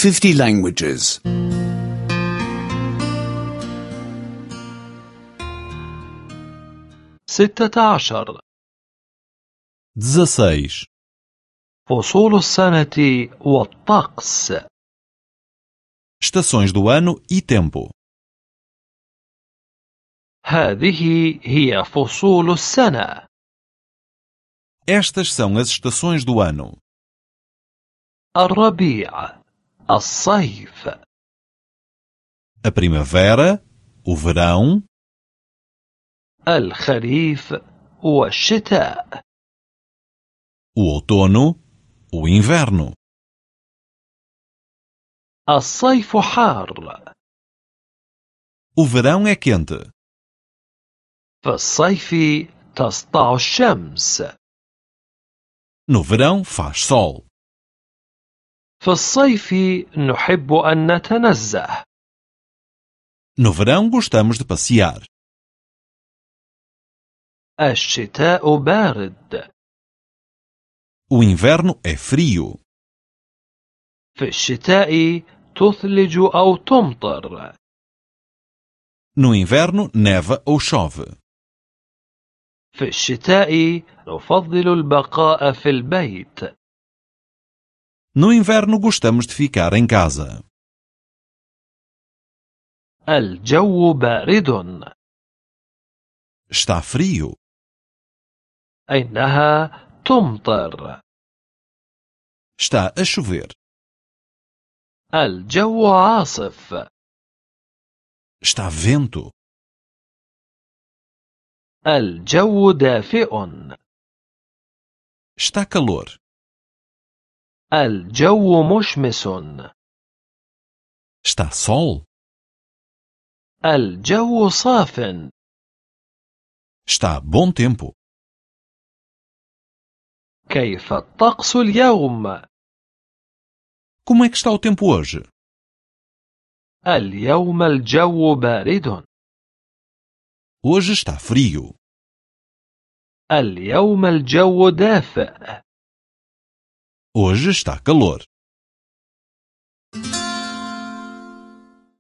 50 languages. 16. 16. فصول السنة والطقس. Estações do ano e tempo. هذه هي فصول السنة. Estas são as estações do ano: الربيع، الصيف، a primavera, o verão, الخريف والشتاء. o outono, o inverno. الصيف حار. O verão é quente. في الصيف تسطع الشمس. No verão faz sol. في الصيف نحب أن نتنزه. No verão gostamos de passear. الشتاء بارد. O inverno é frio. في الشتاء تثلج أو تمطر. No inverno neva ou chove. في الشتاء نفضل البقاء في البيت. No inverno gostamos de ficar em casa. الجو بارد. Está frio. إنها تمطر. Está a chover. الجو عاصف. Está vento. الجو دافئ. Está calor. الجو مشمس. Está sol. الجو صاف. Está bom tempo. كيف الطقس اليوم؟ Como é que está o tempo hoje? اليوم الجو بارد. Hoje está frio. اليوم الجو دافئ. Hoje está calor.